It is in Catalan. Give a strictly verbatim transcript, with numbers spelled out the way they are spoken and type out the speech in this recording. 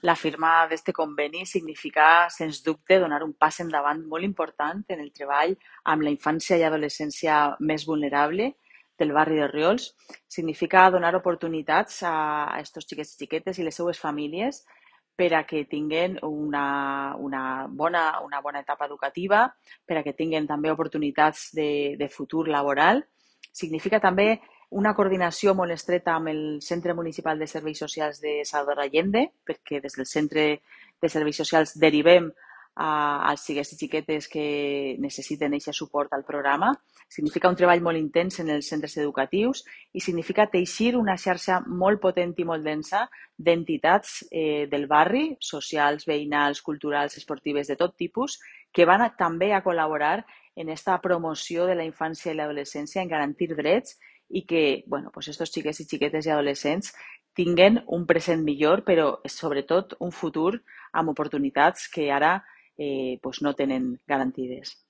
La firma d'aquest conveni significa, sens dubte, donar un pas endavant molt important en el treball amb la infància i adolescència més vulnerable del barri de Riols. Significa donar oportunitats a aquests xiquets i xiquetes i les seues famílies per a que tinguen una, una, bona, una bona etapa educativa, per a que tinguen també oportunitats de, de futur laboral. Significa també una coordinació molt estreta amb el Centre Municipal de Serveis Socials de Salvador Allende, perquè des del Centre de Serveis Socials derivem a, als xiquets i xiquetes que necessiten aquest suport al programa. Significa un treball molt intens en els centres educatius i significa teixir una xarxa molt potent i molt densa d'entitats eh, del barri, socials, veïnals, culturals, esportives, de tot tipus, que van a, també a col·laborar en esta promoció de la infància i l'adolescència, en garantir drets i que, bueno, pues estos xiquets i xiquetes i adolescents tinguen un present millor, però sobretot un futur amb oportunitats que ara eh, pues no tenen garantides.